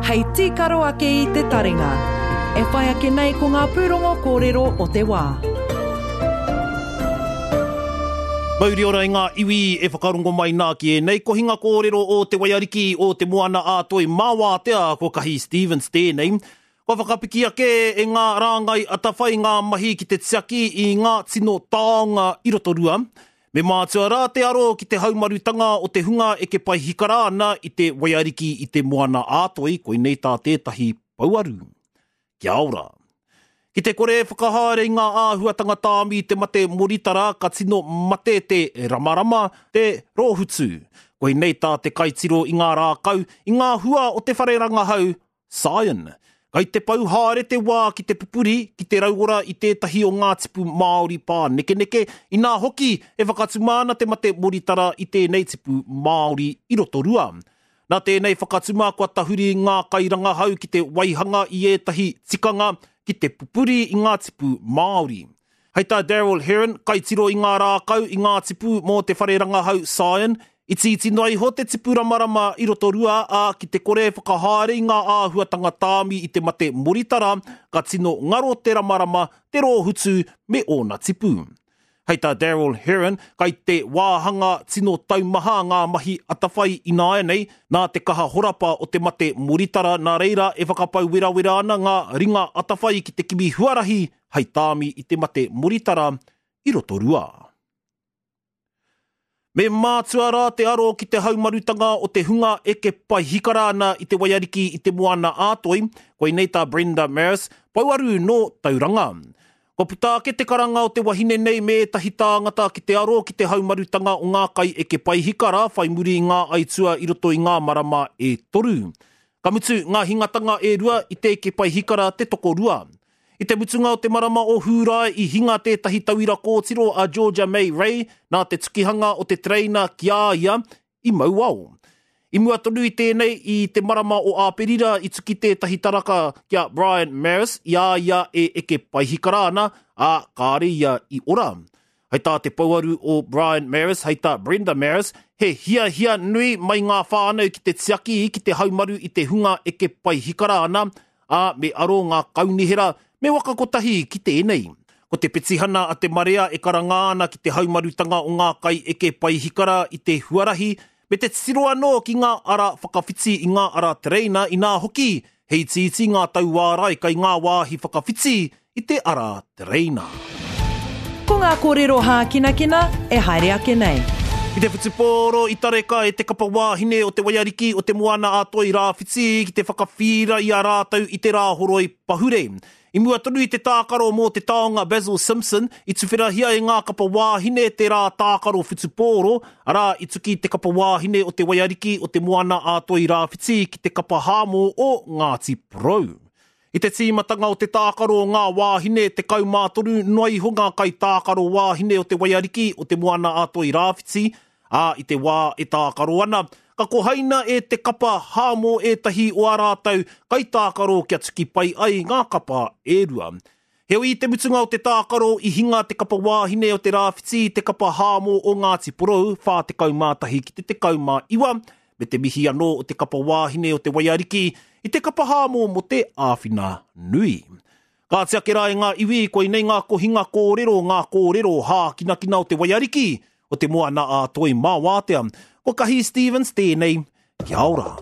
Hei tīkaro ake i te taringa. E whai ake nei ko ngā pūrongo kōrero o te wā. Mauri ora i ngā iwi e whakarongo mai nā ki ēnei kohinga kōrero o Te Waiariki o Te Moana a Toi mā Wātea, ko Kahi Stevens tēnei. Kua whakapiki ake e ngā rāngai atawhai ngā mahi ki te tiaki i ngā tino taonga i Rotorua. Me mātua rā te aro ki te haumarutanga o te hunga eke paihikara ana i te waiariki i te Moana-a-Toi, koinei tā tētahi pouaru. Kia ora. Ki te kore e whakahaere i ngā āhuatanga tāmi i te mate moritara ka tino mate te ramarama, te rōhutu. Koinei tā te kaitiro i ngā rākau, i ngā hua o te whare rangahau Scion. Kai te pau haere te wā ki te pupuri, ki te rauora i tētahi o ngā tipu māori pānekeneke, inā hoki e whakatuma ana te mate moritara i tēnei tipu māori i Rotorua. Nā tēnei whakatuma kua tahuri ngā kairangahau ki te waihanga i ētahi tikanga ki te pupuri i ngā tipu māori. Hei tā Darryl Heron, kaitiro i ngā rākau, i ngā tipu mō te whare rangahau Scion, itiiti noa iho te tipu ramarama i Rotorua, ā, ki te kore e whakahaere i ngā āhuatanga tāmi i te mate moritara, ka tino ngaro te ramarama, te rōhutu me ōna tipu. Hei tā Darryl Heron, kai te wāhanga tino taumaha ngā mahi atawhai ināianei, nā te kaha horapa o te mate moritara, nā reira e whakapau werawera ana ngā ringa atawhai ki te kimi huarahi hei tāmi i te mate moritara i Rotorua. Me mātua rā te aro ki te haumarutanga o te hunga eke paihikara ana i te waiariki i te Moana ā-Toi, koinei tā Brenda Maris, pouaru nō Tauranga. Kua puta ake te karanga o te wahine nei me ētahi tāngata ki te aro ki te haumarutanga o ngā kaieke paihikara whai muri i ngā aitua i roto i ngā marama e toru. Ka mutu ngā hingatanga e rua i te eke paihikara te tokorua. I te mutunga o te marama o Hūrae i hinga tētahi tauira kōtiro a Georgia May Ray nā te tukihanga o te tereina ki a ia i Mauao. I mua tonu i tēnei, i te marama o Āperira i tuki tētahi taraka ki a Brian Maris i a ia e eke paihikara ana, ā, kāre ia i ora. Hei tā te pouaru o Brian Maris, hei tā Brenda Maris, he hiahia nui mai ngā whānau ki te tiaki ki te haumaru i te hunga eke paihikara ana, ā, me aro ngā kaunihera, me waka kotahi ki tēnei. Ko te petihana a te marea e karanga ana ki te haumarutanga o ngā kaieke paihikara i te huarahi, me te titiro anō ki ngā ara whakawhiti i ngā ara tereina inā hoki he itiiti ngā tauārai kai ngā wāhi whakawhiti i te ara tereina. Ko ngā kōrero hākinakina e haere ake nei. I te whutupōro i tareka e te kapa wāhine o Te Waiariki o Te Moana-a-Toi Rāwhiti ki te whakawhīra i a rātou i te Rāhoroi pahure. I mua tonu i te tākaro mō te taonga Basil Simpson, i tuwherahia e ngā kapa wāhine te rā tākaro whutupōro, arā, i tuki te kapa wāhine o Te Waiariki o Te Moana-a-Toi Rāwhiti ki te kapa Hāmō o Ngāti Porou. I te tīmatanga o te tākaro o ngā wāhine, 13 noa iho ngā kaitākaro wāhine o Te Waiariki o Te Moana-a-Toi Rāwhiti, ā, i te wā e tākaro ana, ka kohaina e te kapa Hāmō ētahi o ā rātou kaitākaro kia tuki pai ai ngā kapa e rua. Heoi i te mutunga o te tākaro i hinga te kapa wāhine o Te Rāwhiti i te kapa Hāmō o Ngāti Porou 41 ki te 19, me te mihi anō o te kapa wāhine o Te Waiariki i te kapa Hāmō mō te āwhina nui. Kāti ake rā e ngā iwi, koinei ngā kohinga kōrero, ngā kōrero hākinakina o Te Waiariki, o Te Moana-a-Toi mā Wātea. Ko Kahi Stevens tēnei, kia ora.